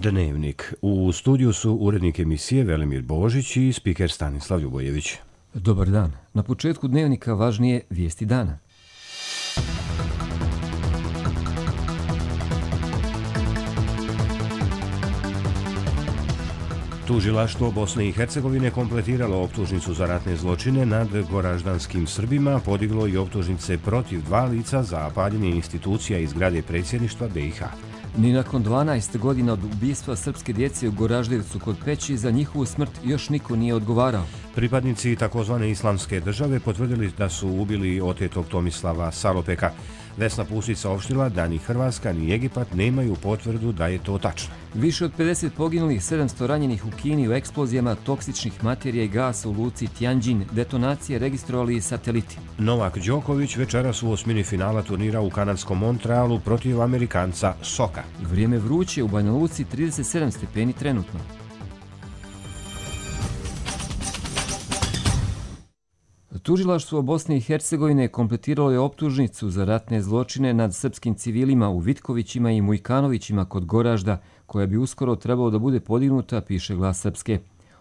Dnevnik. U studiju su urednik emisije Velimir Božić i spiker Stanislav Ljubojević. Dobar dan. Na početku Dnevnika važnije vijesti dana. Tužilaštvo Bosne i Hercegovine kompletiralo optužnicu za ratne zločine nad goraždanskim Srbima, podiglo i optužnice protiv 2 lica za paljenje institucija iz zgrade predsjedništva BiH. Ni nakon 12 godina od ubistva srpske djece u Goraždevcu kod Peći za njihovu smrt još niko nije odgovarao. Pripadnici takozvane islamske države potvrdili da su ubili otetog Tomislava Salopeka. Vesna Pusić saopštila da ni Hrvatska ni Egipat nemaju potvrdu da je to tačno. Više od 50 poginulih, 700 ranjenih u Kini u eksplozijama toksičnih materija i gasa u luci Tianjin. Detonacije registrovali i sateliti. Novak Đoković večeras u osmini finala turnira u kanadskom Montrealu protiv Amerikanca Soka. Vrijeme vruće u Banja Luci, 37 stepeni trenutno. Tužilaštvo Bosne i Hercegovine kompletiralo je optužnicu za ratne zločine nad srpskim civilima u Vitkovićima i Mujkanovićima kod Goražda, koja bi uskoro trebalo da bude podignuta, piše Glas Srpske.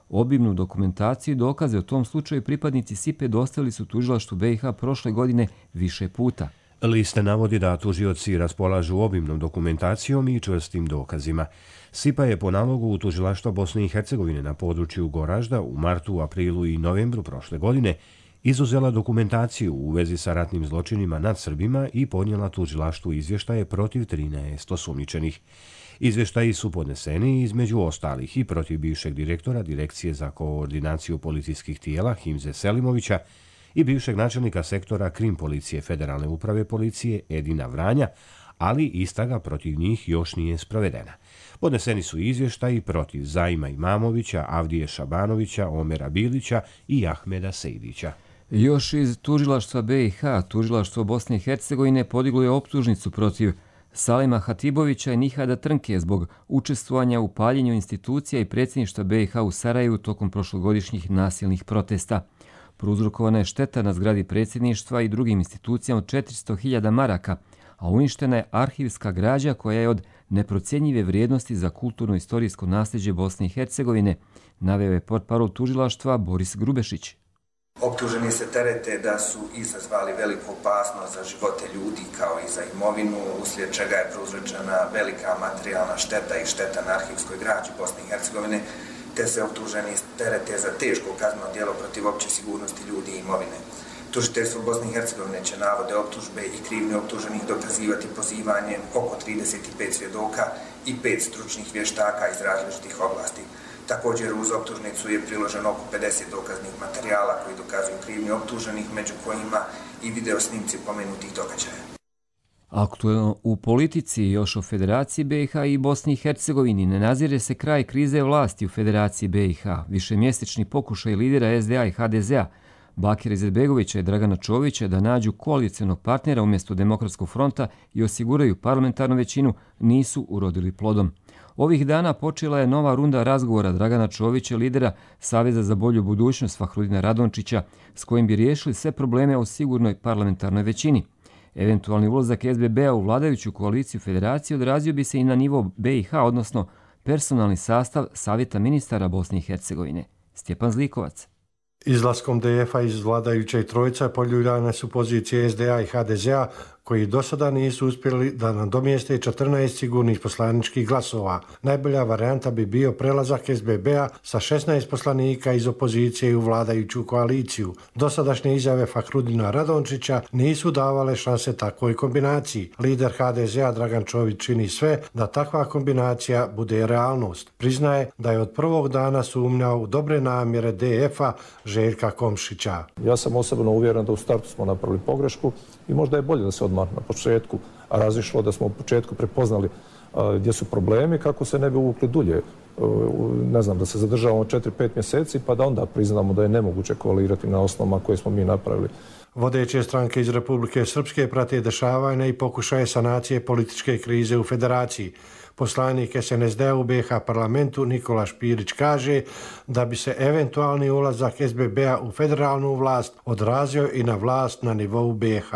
Obimnu dokumentaciju i dokaze o tom slučaju pripadnici SIPE dostavili su tužilaštvu BiH prošle godine više puta. Liste navodi da tužioci raspolažu obimnom dokumentacijom i čvrstim dokazima. SIPA je po nalogu u tužilaštva Bosne i Hercegovine na području Goražda u martu, aprilu i novembru prošle godine izuzela dokumentaciju u vezi sa ratnim zločinima nad Srbima i podnijela tužilaštvu izvještaje protiv 13 osumnjičenih. Izvještaji su podneseni između ostalih i protiv bivšeg direktora Direkcije za koordinaciju policijskih tijela Himze Selimovića i bivšeg načelnika sektora Krim policije Federalne uprave policije Edina Vranja, ali istraga protiv njih još nije sprovedena. Podneseni su izvještaji protiv Zaima Imamovića, Avdije Šabanovića, Omera Bilića i Ahmeda Sejdića. Još iz tužilaštva BiH, tužilaštvo Bosne i Hercegovine podiglo je optužnicu protiv Salima Hatibovića i Nihada Trnke zbog učestvovanja u paljenju institucija i predsjedništva BiH u Sarajevu tokom prošlogodišnjih nasilnih protesta. Prouzrokovana je šteta na zgradi predsjedništva i drugim institucijama od 400.000 maraka, a uništena je arhivska građa koja je od neprocjenjive vrijednosti za kulturno-istorijsko nasljeđe Bosne i Hercegovine, naveo je portparol tužilaštva Boris Grubešić. Optuženi se terete da su izazvali veliku opasnost za živote ljudi kao i za imovinu, uslijed čega je prouzročena velika materijalna šteta i šteta na arhivskoj građi Bosne i Hercegovine, te se optuženi terete za teško kazneno djelo protiv opće sigurnosti ljudi i imovine. Tužiteljstvo Bosne i Hercegovine će navode optužbe i krivnje optuženih dokazivati pozivanjem oko 35 svjedoka i 5 stručnih vještaka iz različitih oblasti. Također uz optužnicu je priloženo oko 50 dokaznih materijala koji dokazuju krivnje optuženih, među kojima i video snimci pomenutih događaja. Aktuelno u politici još o Federaciji BiH i Bosni i Hercegovini ne nazire se kraj krize vlasti u Federaciji BiH. Višemjesečni pokušaj lidera SDA i HDZ-a Bakira Izetbegovića i Dragana Čovića da nađu koalicijonog partnera umjesto Demokratskog fronta i osiguraju parlamentarnu većinu nisu urodili plodom. Ovih dana počela je nova runda razgovora Dragana Čovića, lidera Saveza za bolju budućnost Fahrudina Radončića, s kojim bi riješili sve probleme o sigurnoj parlamentarnoj većini. Eventualni ulazak SBB-a u vladajuću koaliciju federacije odrazio bi se i na nivo BiH, odnosno personalni sastav Savjeta ministara Bosne i Hercegovine. Stjepan Zlikovac. Izlaskom DF-a iz vladajuće trojice poljuljane su pozicije SDA i HDZ-a koji do sada nisu uspjeli da nadomjeste 14 sigurnih poslaničkih glasova. Najbolja varijanta bi bio prelazak SBB-a sa 16 poslanika iz opozicije u vladajuću koaliciju. Dosadašnje izjave Fahrudina Radončića nisu davale šanse takvoj kombinaciji. Lider HDZ-a Dragan Čović čini sve da takva kombinacija bude realnost. Priznaje da je od prvog dana sumnjao u dobre namjere DF-a Željka Komšića. Ja sam osobno uvjeren da u startu smo napravili pogrešku i možda je bolje da se odmah na početku razišlo, da smo u početku prepoznali gdje su problemi, kako se ne bi uvukli dulje. Ne znam, da se zadržavamo 4-5 mjeseci pa da onda priznamo da je nemoguće koalirati na osnovama koje smo mi napravili. Vodeće stranke iz Republike Srpske prate dešavanja i pokušaje sanacije političke krize u federaciji. Poslanik SNSD u BiH parlamentu Nikola Špirić kaže da bi se eventualni ulazak SBB-a u federalnu vlast odrazio i na vlast na nivou BiH.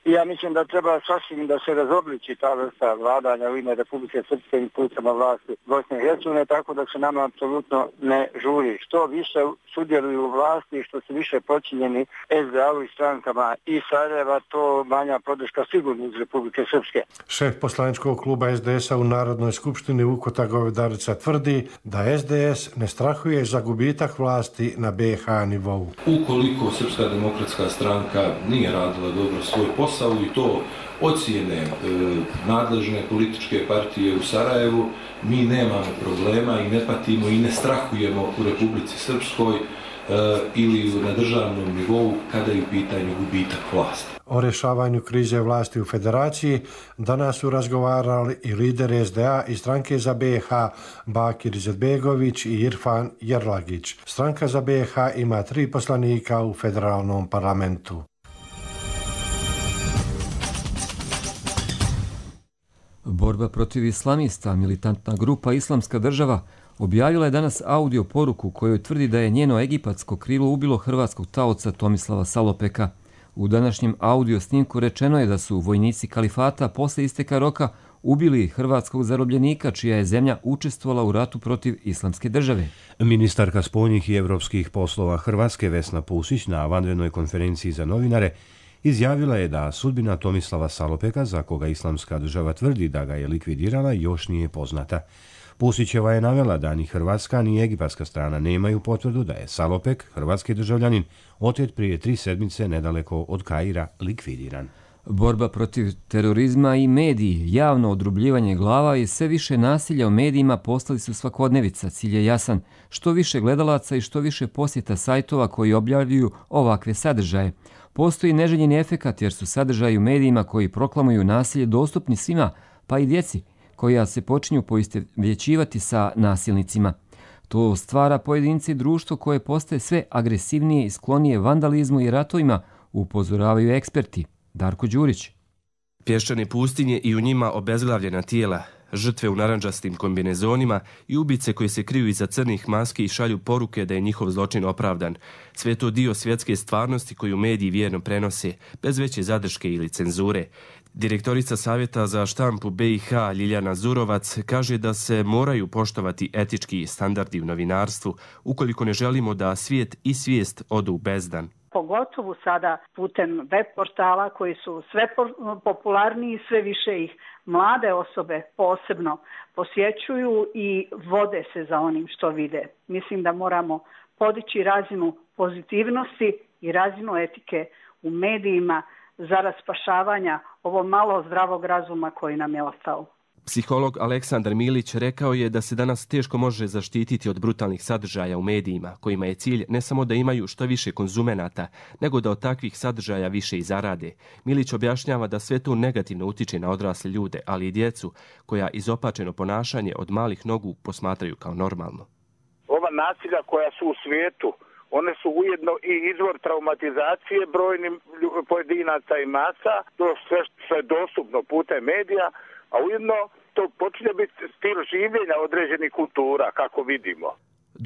I ja mislim da treba sasvim da se razobliči ta vrsta vladanja u ime Republike Srpske i institucijama vlasti Bosne i Hercegovine, tako da se nama apsolutno ne žuri. Što više sudjeluju u vlasti, što su više počinjeni SDA-u i strankama i Sarajeva, to manja podrška sigurno iz Republike Srpske. Šef poslaničkog kluba SDS-a u Narodnoj skupštini Vukotar Govedarica tvrdi da SDS ne strahuje za gubitak vlasti na BiH nivou. Ukoliko Srpska demokratska stranka nije radila dobro svoj posao i to ocijene nadležne političke partije u Sarajevu, mi nemamo problema i ne patimo i ne strahujemo u Republici Srpskoj ili na državnom nivou kada je u pitanju gubitak vlasti. O rješavanju krize vlasti u Federaciji danas su razgovarali i lideri SDA i stranke za BiH Bakir Izetbegović i Irfan Jerlagić. Stranka za BiH ima 3 poslanika u federalnom parlamentu. Borba protiv islamista, militantna grupa Islamska država, objavila je danas audio poruku kojoj tvrdi da je njeno egipatsko krilo ubilo hrvatskog taoca Tomislava Salopeka. U današnjem audio snimku rečeno je da su vojnici kalifata posle isteka roka ubili hrvatskog zarobljenika čija je zemlja učestvovala u ratu protiv Islamske države. Ministarka spoljnih i evropskih poslova Hrvatske Vesna Pusić na vanrednoj konferenciji za novinare izjavila je da sudbina Tomislava Salopeka, za koga Islamska država tvrdi da ga je likvidirala, još nije poznata. Pusićeva je navela da ni hrvatska ni egipatska strana nemaju potvrdu da je Salopek, hrvatski državljanin, otet prije 3 sedmice nedaleko od Kaira, likvidiran. Borba protiv terorizma i mediji, javno odrubljivanje glava i sve više nasilja u medijima postali su svakodnevica. Cilj je jasan, što više gledalaca i što više posjeta sajtova koji objavljuju ovakve sadržaje. Postoji neželjeni efekat jer su sadržaji u medijima koji proklamuju nasilje dostupni svima, pa i djeci, koja se počinju poistovjećivati sa nasilnicima. To stvara pojedinci društvo koje postaje sve agresivnije i sklonije vandalizmu i ratovima, upozoravaju eksperti. Darko Đurić. Pješčane pustinje i u njima obezglavljena tijela, žrtve u narandžastim kombinezonima i ubice koje se kriju iza crnih maski i šalju poruke da je njihov zločin opravdan. Sve to dio svjetske stvarnosti koju mediji vjerno prenose, bez veće zadrške ili cenzure. Direktorica Savjeta za štampu BiH Ljiljana Zurovac kaže da se moraju poštovati etički standardi u novinarstvu ukoliko ne želimo da svijet i svijest odu u bezdan. Pogotovo sada putem web portala koji su sve popularniji i sve više ih mlade osobe posebno posjećuju i vode se za onim što vide. Mislim da moramo podići razinu pozitivnosti i razinu etike u medijima zarad spašavanja ovo malo zdravog razuma koji nam je ostao. Psiholog Aleksandar Milić rekao je da se danas teško može zaštititi od brutalnih sadržaja u medijima, kojima je cilj ne samo da imaju što više konzumenata, nego da od takvih sadržaja više i zarade. Milić objašnjava da sve to negativno utiče na odrasle ljude, ali i djecu, koja izopačeno ponašanje od malih nogu posmatraju kao normalno. Ova nasilja koja su u svijetu, one su ujedno i izvor traumatizacije brojnim pojedinaca i masa, to sve što je dostupno putem medija, a ujedno to počinje biti stil življenja određenih kultura, kako vidimo.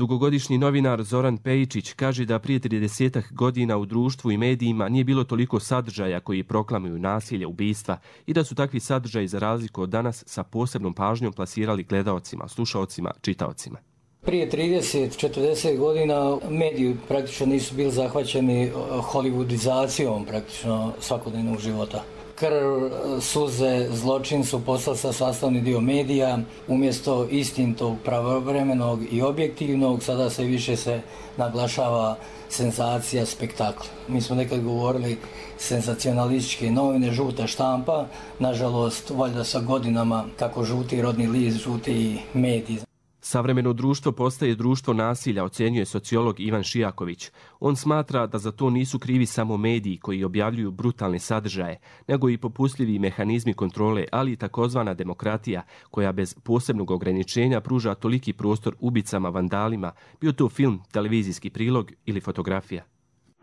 Dugogodišnji novinar Zoran Pejičić kaže da prije 30 godina u društvu i medijima nije bilo toliko sadržaja koji proklamuju nasilje, ubistva i da su takvi sadržaji za razliku od danas sa posebnom pažnjom plasirali gledaocima, slušaocima, čitaocima. Prije 30-40 godina mediji praktično nisu bili zahvaćeni hollywoodizacijom praktično svakodnevnog života. Krv, suze, zločin su postali sastavni dio medija, umjesto istinitog, pravovremenog i objektivnog, sada sve više se naglašava senzacija, spektakl. Mi smo nekad govorili senzacionalističke novine, žuta štampa, nažalost, valjda sa godinama kako žuti rodni list, žuti mediji. Savremeno društvo postaje društvo nasilja, ocjenjuje sociolog Ivan Šijaković. On smatra da za to nisu krivi samo mediji koji objavljuju brutalne sadržaje, nego i popustljivi mehanizmi kontrole, ali i takozvana demokratija, koja bez posebnog ograničenja pruža toliki prostor ubicama, vandalima, bio to film, televizijski prilog ili fotografija.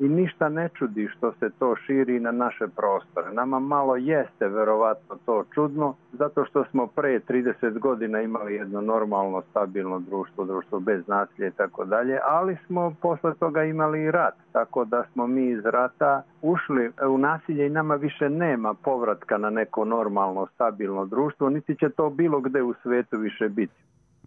i ništa ne čudi što se to širi na naše prostore. Nama malo jeste verovatno to čudno, zato što smo pre 30 godina imali jedno normalno, stabilno društvo bez nasilja i tako dalje, ali smo posle toga imali i rat, tako da smo mi iz rata ušli u nasilje i nama više nema povratka na neko normalno, stabilno društvo, niti će to bilo gde u svetu više biti.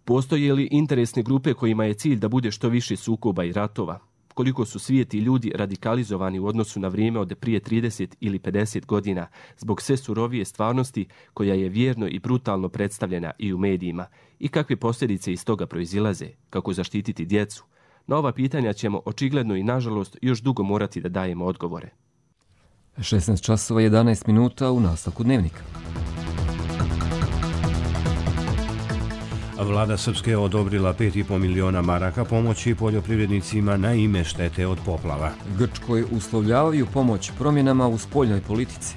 Postoje li interesne grupe kojima je cilj da bude što više sukoba i ratova? Koliko su svijet i ljudi radikalizovani u odnosu na vrijeme od prije 30 ili 50 godina zbog sve surovije stvarnosti koja je vjerno i brutalno predstavljena i u medijima i kakve posljedice iz toga proizilaze, kako zaštititi djecu? Na ova pitanja ćemo očigledno i nažalost još dugo morati da dajemo odgovore. 16 časova 11 minuta u nastavku dnevnika. Vlada Srpske je odobrila 5,5 miliona maraka pomoći poljoprivrednicima na ime štete od poplava. Grčkoj uslovljavaju pomoć promjenama u spoljnoj politici.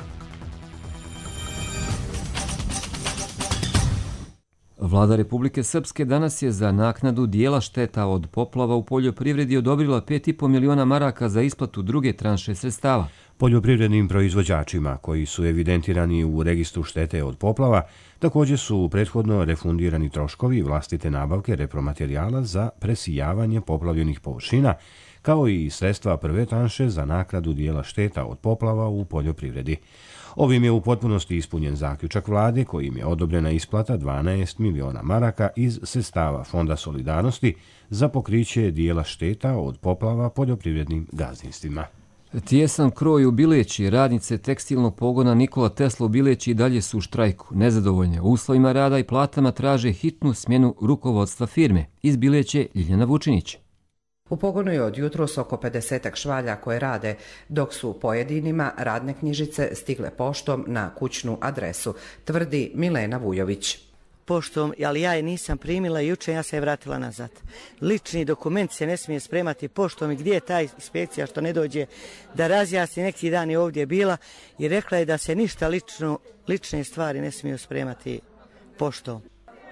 Vlada Republike Srpske danas je za naknadu dijela šteta od poplava u poljoprivredi odobrila 5,5 miliona maraka za isplatu druge tranše sredstava. Poljoprivrednim proizvođačima koji su evidentirani u registru štete od poplava također su prethodno refundirani troškovi vlastite nabavke repromaterijala za presijavanje poplavljenih površina, kao i sredstva prve tranše za naknadu dijela šteta od poplava u poljoprivredi. Ovim je u potpunosti ispunjen zaključak vlade kojim je odobrena isplata 12 miliona maraka iz sredstava Fonda solidarnosti za pokriće dijela šteta od poplava poljoprivrednim gazdinstvima. Tijesan kroj u Bileći, radnice tekstilnog pogona Nikola Tesla u Bileći dalje su u štrajku. Nezadovoljne uslovima rada i platama traže hitnu smjenu rukovodstva firme. Iz Bileće Ljiljana Vučinić. U pogonu je od jutros oko 50 švalja koje rade, dok su pojedinima radne knjižice stigle poštom na kućnu adresu, tvrdi Milena Vujović. Poštom, ali ja je nisam primila i jučer ja se je vratila nazad. Lični dokument se ne smije spremati poštom i gdje je ta inspekcija što ne dođe da razjasni. Neki dan je ovdje bila i rekla je da se ništa lične stvari ne smiju spremati poštom.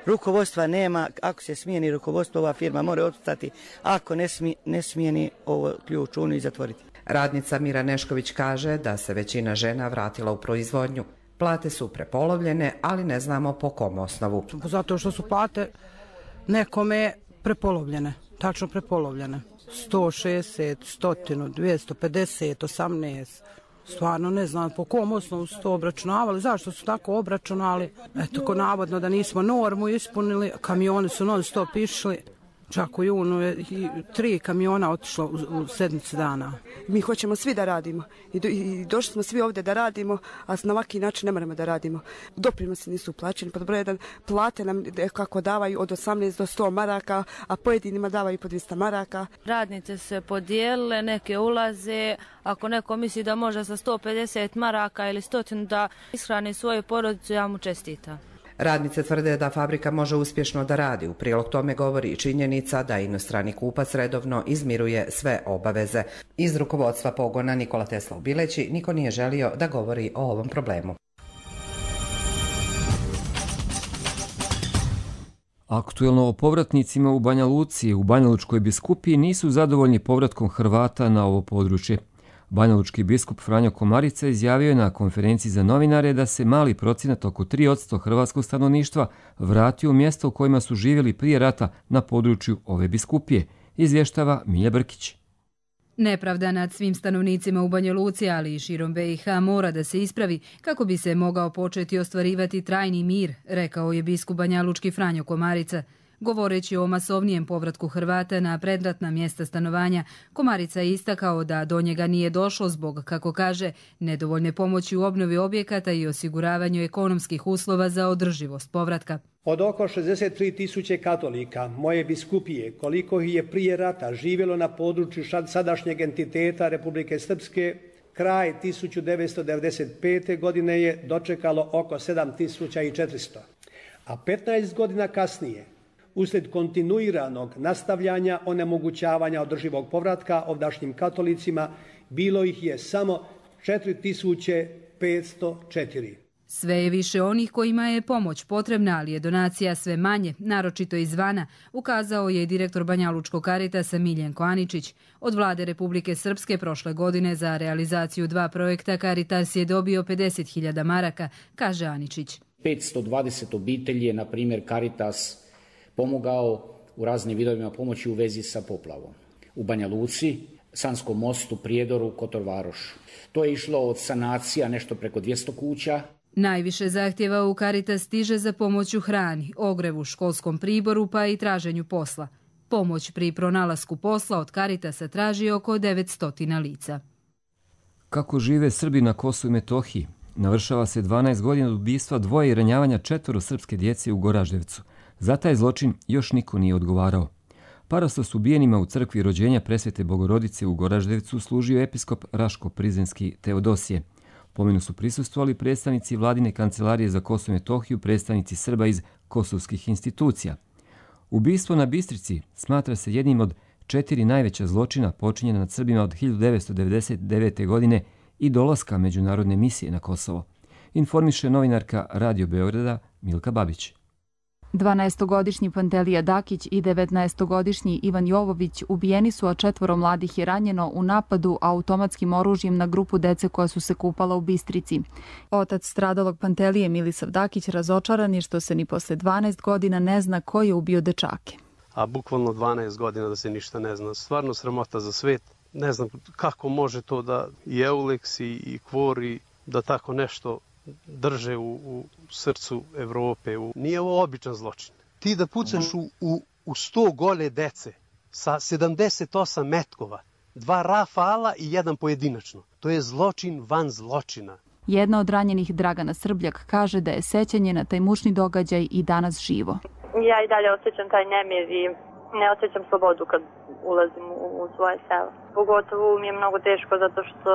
Rukovodstva nema, ako se smijeni rukovodstvo, ova firma mora ostati, ako ne smijeni ovo ključ unu i zatvoriti. Radnica Mira Nešković kaže da se većina žena vratila u proizvodnju. Plate su prepolovljene, ali ne znamo po kom osnovu. Zato što su plate nekome prepolovljene, tačno prepolovljene. 160, 100, 250, 18. Stvarno ne znam po kom osnovu su to obračunavali, zašto su tako obračunali. Eto, ko navodno da nismo normu ispunili, kamioni su non stop išli. Čak u junu je 3 kamiona otišlo u sedmici dana. Mi hoćemo svi da radimo i došli smo svi ovdje da radimo, a na ovaki način ne moramo da radimo. Doprinosi nisu plaćeni, pod broj 1, plate nam kako davaju od 18 do 100 maraka, a pojedinima davaju po 200 maraka. Radnice se podijelile, neke ulaze, ako neko misli da može sa 150 maraka ili 100 da ishrani svoju porodicu, ja mu čestitam. Radnice tvrde da fabrika može uspješno da radi. U prilog tome govori i činjenica da inostrani kupac redovno izmiruje sve obaveze. Iz rukovodstva pogona Nikola Tesla u Bileći niko nije želio da govori o ovom problemu. Aktuelno o povratnicima u Banja Luci u Banjalučkoj biskupiji nisu zadovoljni povratkom Hrvata na ovo područje. Banjalučki biskup Franjo Komarica izjavio je na konferenciji za novinare da se mali procenat oko 3% hrvatskog stanovništva vratio u mjesto u kojima su živjeli prije rata na području ove biskupije, izvještava Milja Brkić. Nepravda nad svim stanovnicima u Banja Luci, ali i širom BiH mora da se ispravi kako bi se mogao početi ostvarivati trajni mir, rekao je biskup banjalučki Franjo Komarica. Govoreći o masovnijem povratku Hrvata na predratna mjesta stanovanja, Komarica je istakao da do njega nije došlo zbog, kako kaže, nedovoljne pomoći u obnovi objekata i osiguravanju ekonomskih uslova za održivost povratka. Od oko 63.000 katolika moje biskupije, koliko ih je prije rata živjelo na području sadašnjeg entiteta Republike Srpske, kraj 1995. godine je dočekalo oko 7.400, a 15 godina kasnije, uslijed kontinuiranog nastavljanja onemogućavanja održivog povratka ovdašnjim katolicima, bilo ih je samo 4.504. Sve je više onih kojima je pomoć potrebna, ali je donacija sve manje, naročito izvana, ukazao je direktor Banjalučkog Karitasa Miljenko Aničić. Od vlade Republike Srpske prošle godine za realizaciju 2 projekta Karitas je dobio 50.000 maraka, kaže Aničić. 520 obitelji je, na primjer, Karitas pomogao u raznim vidovima pomoći u vezi sa poplavom. U Banja Luci, Sanskom mostu, Prijedoru, Kotorvarošu. To je išlo od sanacija nešto preko 200 kuća. Najviše zahtjeva u Karitas stiže za pomoć u hrani, ogrevu, školskom priboru pa i traženju posla. Pomoć pri pronalasku posla od Karitasa traži oko 900 lica. Kako žive Srbi na Kosovu i Metohiji? Navršava se 12 godina od ubistva 2 i ranjavanja 4 srpske djece u Goraždevcu. Za taj zločin još niko nije odgovarao. Parastos ubijenima u crkvi rođenja Presvete Bogorodice u Goraždevcu služio episkop Raško-Prizrenski Teodosije. Pomenu su prisustvovali predstavnici Vladine kancelarije za Kosovo i Metohiju, predstavnici Srba iz kosovskih institucija. Ubistvo na Bistrici smatra se jednim od 4 najveća zločina počinjena nad Srbima od 1999. godine i dolaska međunarodne misije na Kosovo. Informiše novinarka Radio Beograda Milka Babić. 12-godišnji Pantelija Dakić i 19-godišnji Ivan Jovović ubijeni su, a 4 mladih je ranjeno u napadu automatskim oružjem na grupu dece koja su se kupala u Bistrici. Otac stradalog Pantelije, Milisav Dakić, razočaran je što se ni posle 12 godina ne zna ko je ubio dečake. A bukvalno 12 godina da se ništa ne zna. Stvarno sramota za svet. Ne znam kako može to da i Eulex i Kvori da tako nešto drže u srcu Evrope. Nije ovo običan zločin. Ti da pucaš u 100 gole dece sa 78 metkova, 2 rafala i 1 pojedinačno. To je zločin van zločina. Jedna od ranjenih, Dragana Srbljak, kaže da je sećanje na taj mučni događaj i danas živo. Ja i dalje osjećam taj nemir i ne osjećam slobodu kad ulazim u svoje selo. Pogotovo mi je mnogo teško zato što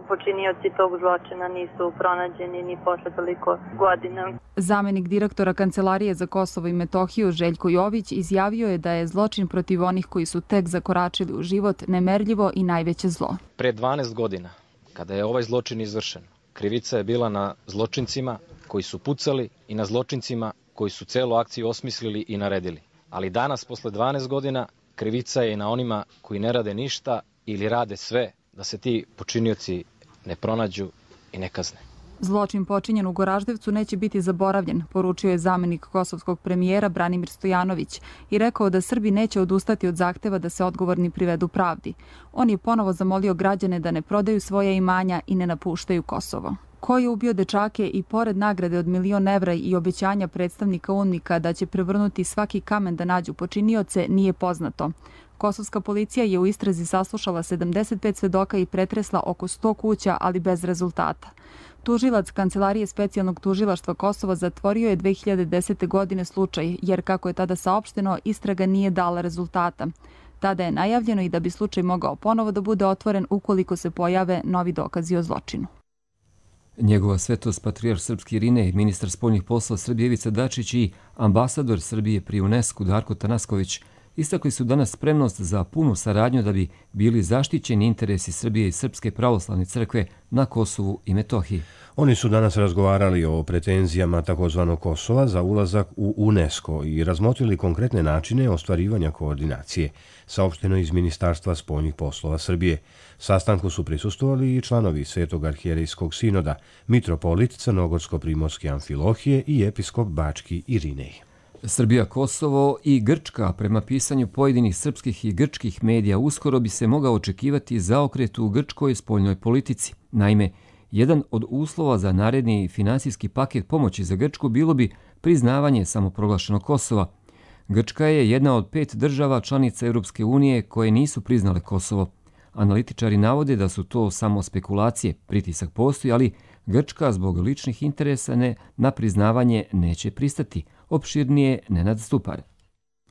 počinioci tog zločina nisu pronađeni ni posle toliko godina. Zamenik direktora Kancelarije za Kosovo i Metohiju Željko Jović izjavio je da je zločin protiv onih koji su tek zakoračili u život nemerljivo i najveće zlo. Pre 12 godina, kada je ovaj zločin izvršen, krivica je bila na zločincima koji su pucali i na zločincima koji su celu akciju osmislili i naredili. Ali danas, posle 12 godina, krivica je i na onima koji ne rade ništa ili rade sve da se ti počinioci ne pronađu i ne kazne. Zločin počinjen u Goraždevcu neće biti zaboravljen, poručio je zamenik kosovskog premijera Branimir Stojanović i rekao da Srbi neće odustati od zahteva da se odgovorni privedu pravdi. On je ponovo zamolio građane da ne prodaju svoje imanja i ne napuštaju Kosovo. Ko je ubio dečake i pored nagrade od 1.000.000 evra i obećanja predstavnika UNMIK-a da će prevrnuti svaki kamen da nađu počinioce, nije poznato. Kosovska policija je u istrazi saslušala 75 svedoka i pretresla oko 100 kuća, ali bez rezultata. Tužilac Kancelarije specijalnog tužilaštva Kosova zatvorio je 2010. godine slučaj, jer kako je tada saopšteno, istraga nije dala rezultata. Tada je najavljeno i da bi slučaj mogao ponovo da bude otvoren ukoliko se pojave novi dokazi o zločinu. Njegova svetost patrijarh srpski Irinej, ministar spoljnih poslova Srbije Ivica Dačić i ambasador Srbije pri UNESCO Darko Tanasković istakli su danas spremnost za punu saradnju da bi bili zaštićeni interesi Srbije i Srpske pravoslavne crkve na Kosovu i Metohiji. Oni su danas razgovarali o pretenzijama takozvanog Kosova za ulazak u UNESCO i razmotrili konkretne načine ostvarivanja koordinacije, saopšteno iz Ministarstva spoljnih poslova Srbije. Sastanku su prisustvovali i članovi Svetog arhijerejskog sinoda, mitropolit Crnogorsko-primorske Amfilohije i episkop Bački Irinej. Srbija, Kosovo i Grčka, prema pisanju pojedinih srpskih i grčkih medija, uskoro bi se mogao očekivati zaokret u grčkoj spoljnoj politici. Naime, jedan od uslova za naredni finansijski paket pomoći za Grčku bilo bi priznavanje samoproglašenog Kosova. Grčka je jedna od 5 država članica Europske unije koje nisu priznale Kosovo. Analitičari navode da su to samo spekulacije, pritisak postoji, ali Grčka zbog ličnih interesa na priznavanje neće pristati. Opširnije Nenad Stupar.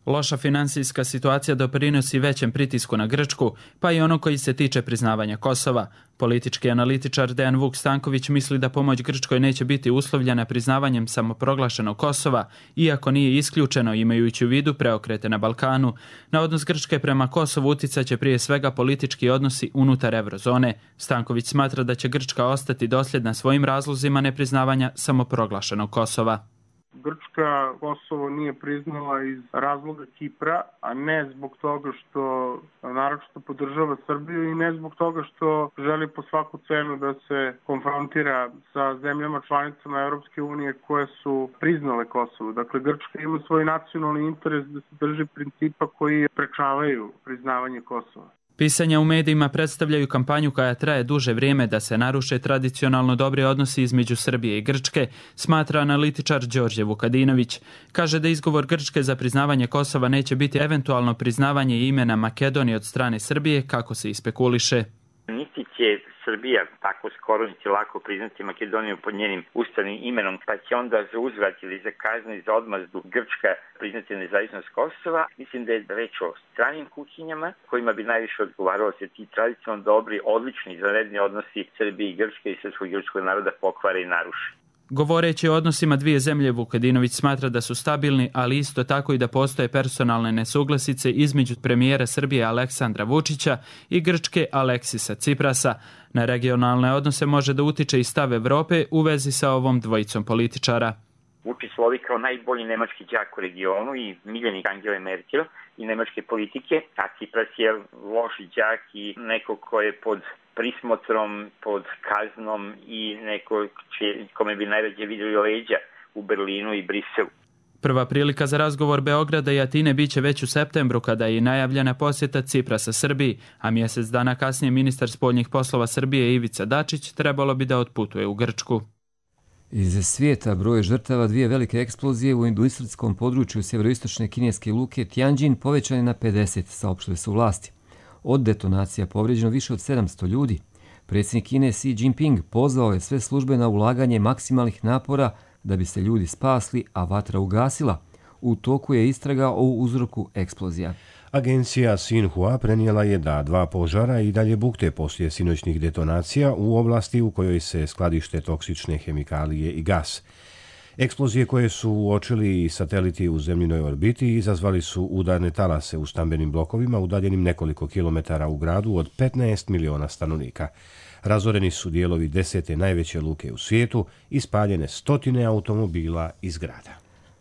Loša finansijska situacija doprinosi većem pritisku na Grčku, pa i ono koji se tiče priznavanja Kosova. Politički analitičar Dejan Vuk Stanković misli da pomoć Grčkoj neće biti uslovljena priznavanjem samoproglašenog Kosova, iako nije isključeno, imajući u vidu preokrete na Balkanu. Na odnos Grčke prema Kosovu uticaće prije svega politički odnosi unutar eurozone. Stanković smatra da će Grčka ostati dosljedna svojim razlozima nepriznavanja samoproglašenog Kosova. Grčka Kosovo nije priznala iz razloga Kipra, a ne zbog toga što naročito podržava Srbiju i ne zbog toga što želi po svaku cenu da se konfrontira sa zemljama članicama Europske unije koje su priznale Kosovo. Dakle, Grčka ima svoj nacionalni interes da se drži principa koji sprečavaju priznavanje Kosova. Pisanja u medijima predstavljaju kampanju koja traje duže vrijeme da se naruše tradicionalno dobri odnosi između Srbije i Grčke, smatra analitičar Đorđe Vukadinović. Kaže da izgovor Grčke za priznavanje Kosova neće biti eventualno priznavanje imena Makedonije od strane Srbije, kako se ispekuliše. Niti će Srbija tako skoro niti lako priznati Makedoniju pod njenim ustavnim imenom, pa će onda za uzvrat ili za kaznu i za odmazdu Grčka priznati nezavisnost Kosova. Mislim da je reč o stranim kuhinjama kojima bi najviše odgovaralo se ti tradicionalno dobri, odlični, izvanredni odnosi Srbije i Grčke i srpskog i grčkog naroda pokvare i naruše. Govoreći o odnosima dvije zemlje, Vukadinović smatra da su stabilni, ali isto tako i da postoje personalne nesuglasice između premijera Srbije Aleksandra Vučića i Grčke Aleksisa Ciprasa. Na regionalne odnose može da utiče i stav Evrope u vezi sa ovom dvojicom političara. Vučić slovi kao najbolji nemački đak u regionu i miljenik Angele Merkel i nemačke politike, a Cipras je loš đak i neko ko je pod prismotrom, pod kaznom i neko kome bi najrađe vidjeli leđa u Berlinu i Briselu. Prva prilika za razgovor Beograda i Atine biće već u septembru, kada je najavljena posjeta Ciprasa Srbiji, a mjesec dana kasnije ministar spoljnih poslova Srbije Ivica Dačić trebalo bi da otputuje u Grčku. Iz svijeta broj žrtava dvije velike eksplozije u industrijskom području sjeveroistočne kineske luke Tianjin povećan je na 50, saopštile su vlasti. Od detonacija povrijeđeno više od 700 ljudi. Predsjednik Kine Xi Jinping pozvao je sve službe na ulaganje maksimalnih napora da bi se ljudi spasli, a vatra ugasila. U toku je istraga o uzroku eksplozija. Agencija Xinhua prenijela je da 2 požara i dalje bukte poslije sinoćnih detonacija u oblasti u kojoj se skladište toksične hemikalije i gas. Eksplozije koje su uočili sateliti u zemljinoj orbiti izazvali su udarne talase u stambenim blokovima udaljenim nekoliko kilometara u gradu od 15 miliona stanovnika. Razoreni su dijelovi 10. najveće luke u svijetu i spaljene stotine automobila iz grada.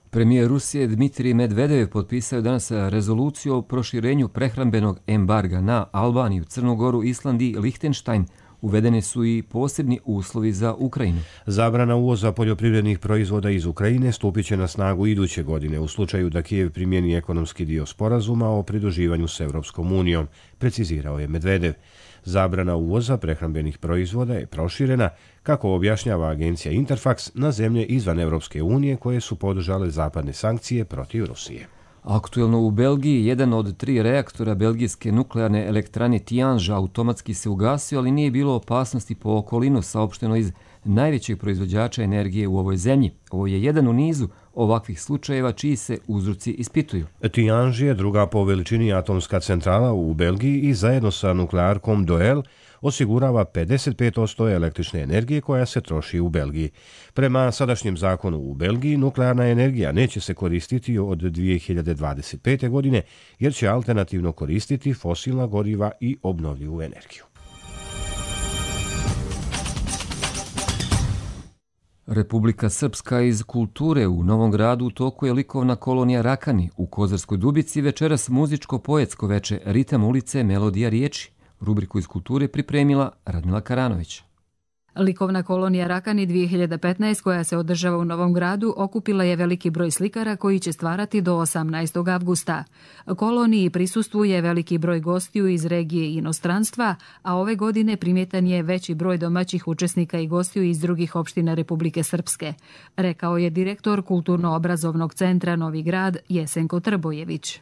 Premijer Rusije Dmitrij Medvedev potpisao je danas rezoluciju o proširenju prehrambenog embarga na Albaniju, Crnu Goru, Island i Lihtenštajn. Uvedene su i posebni uslovi za Ukrajinu. Zabrana uvoza poljoprivrednih proizvoda iz Ukrajine stupit će na snagu iduće godine u slučaju da Kijev primjeni ekonomski dio sporazuma o pridruživanju s Europskom unijom, precizirao je Medvedev. Zabrana uvoza prehrambenih proizvoda je proširena, kako objašnjava agencija Interfax, na zemlje izvan Europske unije koje su podržale zapadne sankcije protiv Rusije. Aktuelno u Belgiji, jedan od 3 reaktora belgijske nuklearne elektrane Tihange automatski se ugasio, ali nije bilo opasnosti po okolinu, saopšteno iz najvećeg proizvođača energije u ovoj zemlji. Ovo je jedan u nizu ovakvih slučajeva čiji se uzroci ispituju. Tihange je druga po veličini atomska centrala u Belgiji i zajedno sa nuklearkom Doel osigurava 55% električne energije koja se troši u Belgiji. Prema sadašnjem zakonu u Belgiji, nuklearna energija neće se koristiti od 2025. godine, jer će alternativno koristiti fosilna goriva i obnovljivu energiju. Republika Srpska iz kulture u Novom Gradu u toku je likovna kolonija Rakani. U Kozarskoj Dubici večeras muzičko-poetsko veče Ritam ulice, melodija riječi. Rubriku iz kulture pripremila Radmila Karanović. Likovna kolonija Rakani 2015, koja se održava u Novom Gradu, okupila je veliki broj slikara koji će stvarati do 18. avgusta. Koloniji prisustvuje veliki broj gostiju iz regije i inostranstva, a ove godine primjetan je veći broj domaćih učesnika i gostiju iz drugih opština Republike Srpske, rekao je direktor Kulturno-obrazovnog centra Novi Grad Jesenko Trbojević.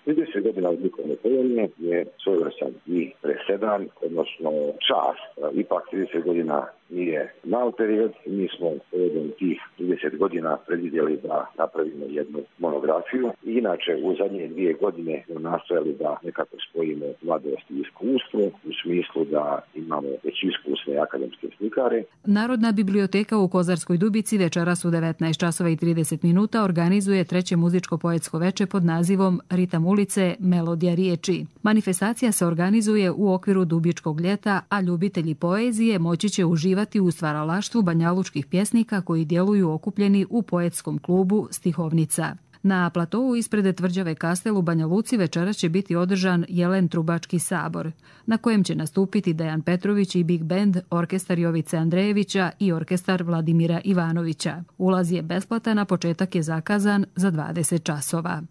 Vidi se godina od likovne kolonije je svojevrstan i presedan, odnosno čast. Ipak 30 godina nije mal period. Mi smo povodom tih 30 godina predvidjeli da napravimo jednu monografiju. Inače, u zadnje 2 godine smo nastojali da nekako spojimo mladost i iskustvo, u smislu da imamo već iskusne akademske slikare. Narodna biblioteka u Kozarskoj Dubici večeras u 19:30 organizuje 3. muzičko-poetsko veče pod nazivom Ritam ulice, melodija riječi. Manifestacija se organizuje u okviru Dubičkog ljeta, a ljubitelji poezije moći će uživati u stvaralaštvu banjalučkih pjesnika koji djeluju okupljeni u poetskom klubu Stihovnica. Na platovu ispred tvrđave Kastel u Banja Luci večeras će biti održan Jelen Trubački sabor, na kojem će nastupiti Dejan Petrović i Big Band, orkestar Jovice Andrejevića i orkestar Vladimira Ivanovića. Ulaz je besplatan, a početak je zakazan za 20 časova.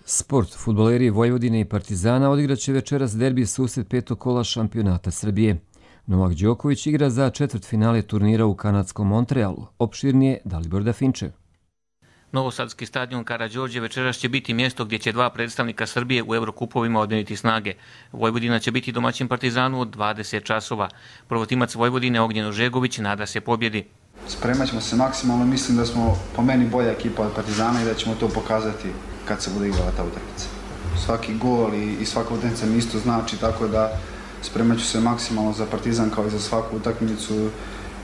Sport. Fudbaleri Vojvodine i Partizana odigraće večeras derbi susret 5. kola šampionata Srbije. Novak Đoković igra za četvrtfinale turnira u kanadskom Montrealu. Opširnije Dalibor Dafinčev. Novosadski stadion Karađorđe večeras će biti mjesto gdje će 2 predstavnika Srbije u Evrokupovima odmjeriti snage. Vojvodina će biti domaćin Partizanu od 20 časova. Prvotimac Vojvodine Ognjen Ožegović nada se pobjedi. Spremat ćemo se maksimalno, mislim da smo po meni bolja ekipa od Partizana i da ćemo to pokazati kad se bude igrala ta utakmica. Svaki gol i svaka utakmica mi isto znači, tako da spremat ću se maksimalno za Partizan kao i za svaku utakmicu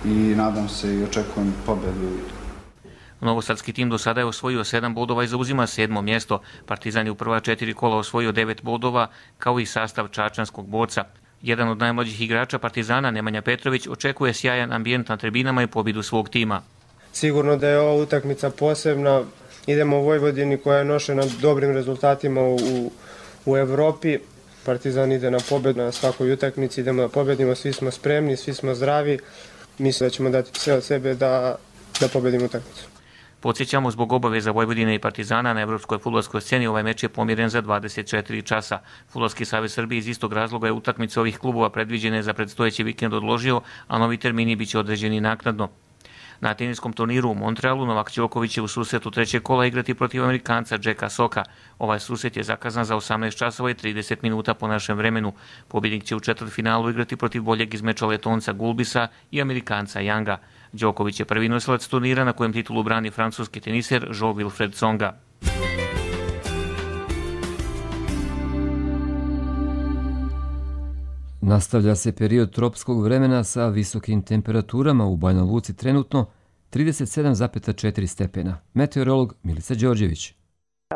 i nadam se i očekujem pobjedu. Novosadski tim do sada je osvojio 7 bodova i zauzima 7. mjesto. Partizan je u prva 4 kola osvojio 9 bodova, kao i sastav čačanskog borca. Jedan od najmlađih igrača Partizana, Nemanja Petrović, očekuje sjajan ambijent na tribinama i pobjedu svog tima. Sigurno da je ova utakmica posebna. Idemo u Vojvodini koja je nošena dobrim rezultatima u Evropi. Partizan ide na pobjedu na svakoj utakmici, idemo da pobjedimo, svi smo spremni, svi smo zdravi. Mislim da ćemo dati sve od sebe da pobjedimo utakmicu. Podsjećamo, zbog obaveza Vojvodine i Partizana na evropskoj fudbalskoj sceni ovaj meč je pomjeren za 24 časa. Fudbalski savez Srbije iz istog razloga je utakmice ovih klubova predviđene za predstojeći vikend odložio, a novi termini biće određeni naknadno. Na teniskom turniru u Montrealu Novak Đoković će u susretu 3. kola igrati protiv Amerikanca Jacka Soka. Ovaj susret je zakazan za 18 časova i 30 minuta po našem vremenu. Pobjednik će u četvrtfinalu igrati protiv boljeg iz meča Letonca Gulbisa i Amerikanca Younga. Đoković je prvi nosilac turnira na kojem titulu brani francuski teniser Jean-Wilfred Tsonga. Nastavlja se period tropskog vremena sa visokim temperaturama u Banja Luci trenutno 37,4 stepena. Meteorolog Milica Đorđević.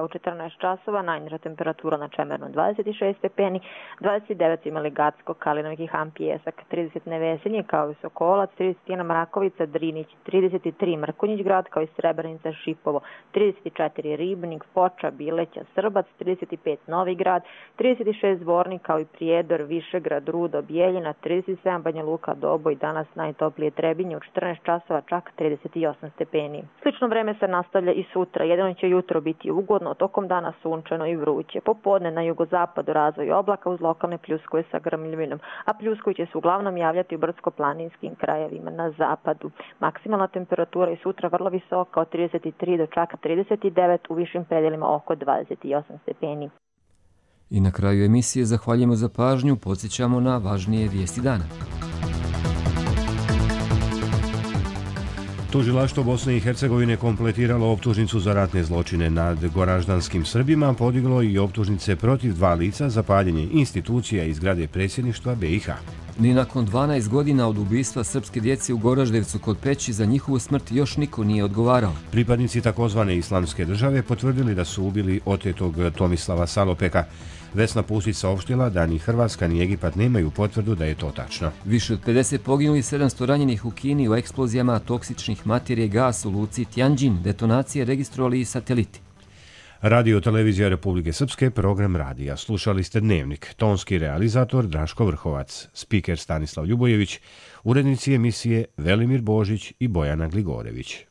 U 14 časova najniža temperatura na Čemernu 26 stepeni, 29 imali Gacko, Kalinovik i Han Pijesak, 30 Nevesinje kao i Sokolac, 31 Mrakovica, Drinić, 33 Mrkonjić grad kao i Srebrenica, Šipovo, 34 Ribnik, Foča, Bileća, Srbac, 35 Novi grad, 36 Zvornik kao i Prijedor, Višegrad, Rudo, Bijeljina, 37 Banja Luka, Doboj, danas najtoplije Trebinje u 14 časova čak 38 stepeni. Slično vreme se nastavlja i sutra, jedino će jutro biti ugodno, tokom dana sunčano i vruće. Popodne na jugozapadu razvoj oblaka uz lokalne pljuskove sa grmljavinom, a pljuskovi će se uglavnom javljati u brdsko-planinskim krajevima na zapadu. Maksimalna temperatura je sutra vrlo visoka od 33 do čak 39, u višim predelima oko 28 stepeni. I na kraju emisije zahvaljujemo za pažnju, podsjećamo na važnije vijesti dana. Tužilaštvo Bosne i Hercegovine kompletiralo optužnicu za ratne zločine nad goraždanskim Srbima, podiglo i optužnice protiv 2 lica za paljenje institucija i zgrade predsjedništva BiH. Ni nakon 12 godina od ubistva srpske djece u Goraždevcu kod Peći za njihovu smrt još niko nije odgovarao. Pripadnici takozvane islamske države potvrdili da su ubili otetog Tomislava Salopeka. Vesna Pusić saopštila da ni Hrvatska ni Egipat nemaju potvrdu da je to tačno. Više od 50 poginuli, 700 ranjenih u Kini u eksplozijama toksičnih materije gas u luci Tianjin. Detonacije registrovali i sateliti. Radio Televizija Republike Srpske, program radija. Slušali ste Dnevnik. Tonski realizator Draško Vrhovac, spiker Stanislav Ljubojević, urednici emisije Velimir Božić i Bojana Gligorević.